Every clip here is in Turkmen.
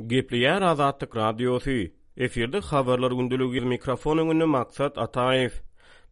Gepleýär Azatlyk Radiosy, Efirde Habarlar gündeligi, mikrofon öňünde Maksat Ataýew.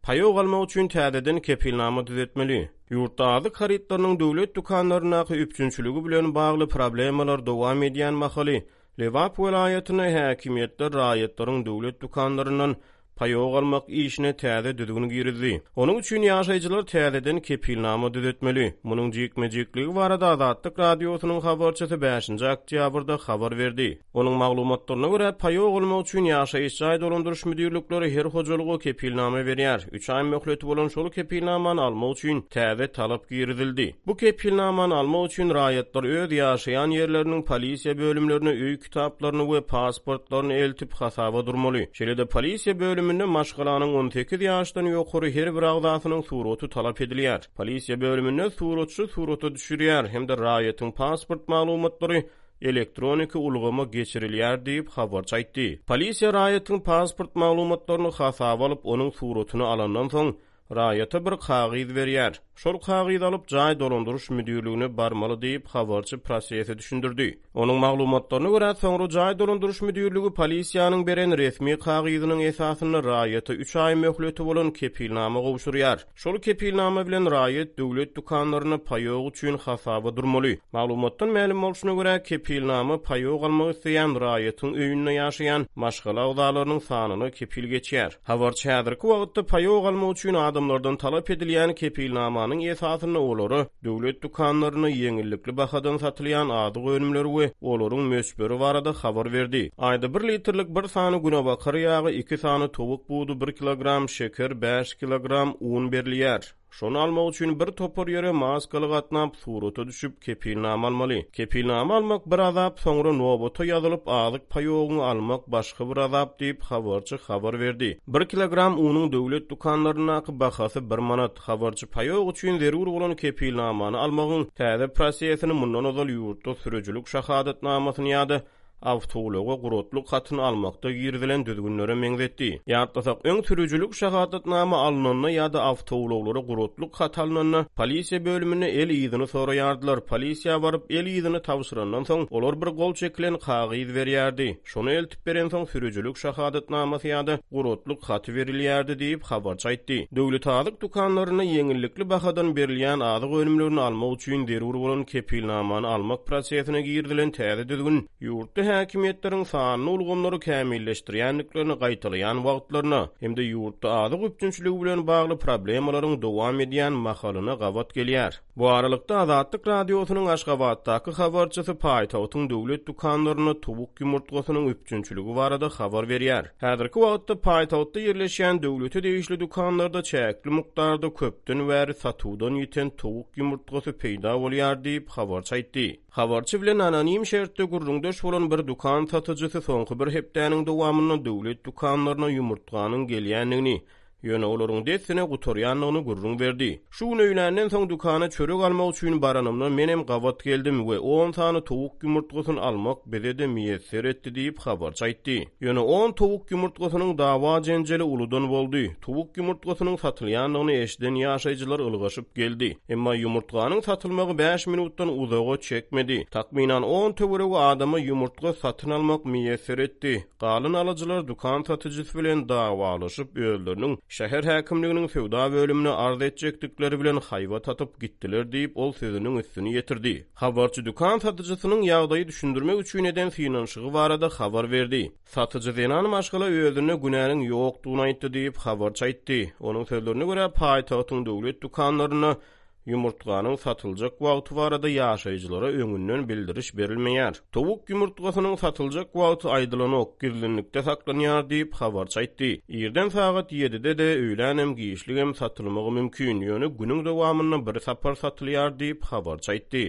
Paýok almak üçin täzeden kepilnama düzetmeli. Ýurtda azyk harytlarynyň döwlet dükanlaryndaky üpjünçiligi bilen bagly problemalar dowam edýän mahaly, Lebap welaýatynda häkimiýetler raýatlaryň döwlet dükanlaryndan Paýok almak işine täze düzgün girizdi. Onuň üçin ýaşaýjylar täzeden kepilnama düzetmeli. Munuň jikme-jikligi barada Azatlyk Radiosynyň habarçysy bäşinji oktýabrda habar berdi. Onuň maglumatlaryna görä, paýok almak üçin ýaşaýyş jaý dolandyryş müdirlikleri her hojalyga kepilnama berýär. Üç aý möhleti bolan şol kepilnamany almak üçin täze talap girizildi. Bu kepilnamany almak üçin raýatlar öz ýaşaýan ýerleriniň polisiýa bölümlerine öý kitaplaryny we pasportlaryny eltip hasaba durmaly. Şeýle-de polisiýa bölüminde maşgalanyň 18 ýaşdan ýokary her bir agzasynyň suraty talap edilýär. Polisiýa bölüminde suratçy surata düşürýär hem-de raýatyň pasport maglumatlary elektroniki ulgama geçirilýär diýip, habarçy aýtdy. Polisiýa raýatyň pasport maglumatlaryny hasaba alyp, onuň suratyny alandan soň, Raýata bir kagyz berýär. Şol kagyzy alyp, jaý dolandyryş müdirligine barmaly diýip, habarçy prosesi düşündirdi. Onuň maglumatlaryna görä, soňra jaý dolandyryş müdirligi polisiýanyň beren resmi kagyzynyň esasynda raýata üç aý möhleti bolan kepilnama gowşurýar. Şol kepilnama bilen raýat döwlet dükanlarynda paýok üçin hasaba durmaly. Maglumatdan mälim bolşuna görä, kepilnama paýok almak isleýän raýatyň öýünde ýaşaýan maşgala agzalarynyň sanyna kepil geçýär. Habarçy häzirki wagtda paýok almak üçin adamlardan talap edilýän kepilnamanyň esasynda olara döwlet dükanlarynda ýeňillikli bahadan satylýan azyk önümleri we olaryň möçberi barada habar berdi. Aýda bir litrlik bir sany günebakar ýagy, iki sany towuk budy, bir kilogram şeker, bäş kilogram un berilýär. Şony almak üçin bir topar ýere maskaly gatnap, surata düşüp, kepilnama almaly. Kepilnama almak bir azap, soňra nobata ýazylyp, azyk paýogyňy almak başga bir azap diýip, habarçy habar berdi. Bir kilogram unuň döwlet dükanlaryndaky bahasy bir manat. Habarçy paýok üçin zerur bolan kepilnamany almagyň täze prosesini mundan ozal ýurtda sürüjilik şahadatnamasyny ýa-da awtoulaga guratlyk hatyny almakda girizilen düzgünlere meňzetdi. Ýatlasak, öň sürüjilik şahadatnama alnanda ýa-da awtoulaglara guratlyk haty alnanda, polisiýa bölüminde el yzyny soraýardylar. Polisiýa baryp, el yzyny tabşyrandan soň, olar bir gol çekilen kagyz berýärdi. Şony eltip berensoň, sürüjilik şahadatnamasy ýa-da guratlyk haty berilýärdi diýip, habarçy aýtdy. Döwlet azyk dükanlarynda ýeňillikli bahadan berilýän azyk önümlerini almak üçin zerur bolan kepilnamany almak prosesine girizilen täze düzgün ýurtda häkimiýetleriň sanly ulgamlary kämilleşdirýändiklerini gaýtalaýan wagtlaryna hem-de ýurtda azyk üpjünçiligi bilen bagly problemalaryň dowam edýän mahalyna gabat gelýär. Bu aralykda, Azatlyk Radiosynyň Aşgabatdaky habarçysy paýtagtyň döwlet dükanlarynda towuk ýumurtgasynyň üpjünçiligi barada habar berýär. Häzirki wagtda paýtagtda ýerleşýän döwlete degişli dükanlarda çäkli mukdarda köpden bäri satuwdan ýiten towuk ýumurtgasy peýda bolýar diýip, habarçy aýtdy. Habarçy bilen anonim şertde gürrüňdeş bolan bir dükan satyjysy soňky bir hepdäniň dowamynda döwlet dükanlaryna ýumurtganyň gelýändigini, Ýöne olaryň dessine gutarýandygyny gürrüň berdi. Şu gün öýländen soň dükana çörek almak üçin baranymda menem gabat geldim we on sany towuk ýumurtgasyny almak bize-de miýesser etdi diýip, habarçy aýtdy. Ýöne on towuk ýumurtgasynyň dawa-jenjeli uludan boldy. Towuk ýumurtgasynyň satylýandygyny eşiden ýaşaýjylar ylgaşyp geldi. Emma ýumurtganyň satylmagy bäş minutdan uzaga çekmedi. Takmynan on töweregi adama ýumurtga satyn almak miýesser etdi. Galan alyjylar dükan satyjysy bilen dawalaşyp, özleriniň şäher häkimliginiň söwda bölümine arz etjekdikleri bilen haýbat atyp gitdiler diýip, ol sözüniň üstüni ýetirdi. Habarçy dükan satyjysynyň ýagdaýy düşündirmek üçin eden synanyşygy barada habar berdi. Satyjy zenan maşgala özünde günäniň ýokdugyny aýtdy diýip, habarçy aýtdy. Onuň sözlerine görä, paýtagtyň döwlet dükanlarynda Ýumurtganyň satyljak wagty barada ýaşaýjylara öňünden bildiriş berilmeýär. Towuk ýumurtgasynyň satyljak wagty aýdylanok, gizlinlikde saklanýar diýip, habarçy aýtdy. Irden sagat ýedide-de, öýlänem, giçligem satylmagy mümkin, ýöne günüň dowamynda bir sapar satylýar diýip, habarçy aýtdy.